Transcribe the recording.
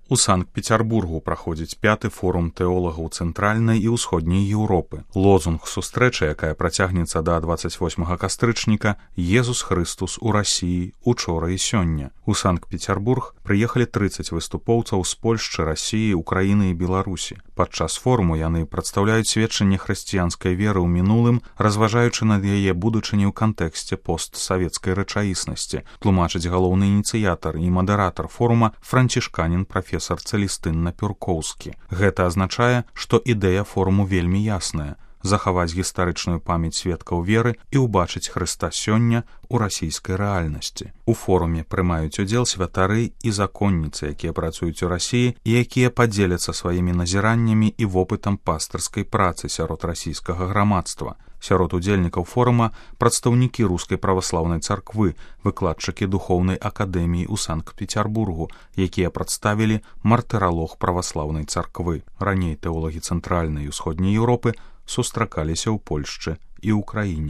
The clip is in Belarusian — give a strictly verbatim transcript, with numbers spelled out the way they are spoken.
У Санкт-Петербургу праходзіць пяты форум тэолагаў цэнтральнай і ўсходняй Еўропы. Лозунг сустрэчы, якая працягнецца да дваццаць восьмага кастрычніка, «Езус Хрыстус у Расіі учора і сёння». У Санкт-Петербург прыехалі трыццаць выступоўцаў з Польшчы, Расіі, Украіны і Беларусі. Падчас форуму яны прадстаўляюць сведчанне хрысціянскай веры ў мінулым, разважаючы над яе будучыні ў кантэксце постсавецкай рэчаіснасці, тлумачыць галоўны ініцыятар і мадэратар форума францішканін прафесар Цэлістын Напюркоўскі. Гэта азначае, што ідэя форуму вельмі ясная – захаваць гістарычную памяць сведкаў веры і ўбачыць Хрыста сёння ў расійскай рэальнасці. У форуме прымаюць удзел святары і законніцы, якія працуюць у Расіі і якія падзеляцца сваімі назіраннямі і вопытам пастырскай працы сярод расійскага грамадства. Сярод удзельнікаў форума прадстаўнікі рускай праваслаўнай царквы, выкладчыкі духоўнай акадэміі ў Санкт-Петербургу, якія прадставілі мартыралог праваслаўнай царквы. Раней тэолагі цэнтральнай і ўсходняй Еўропы сустракаліся ў Польшчы і Украіне.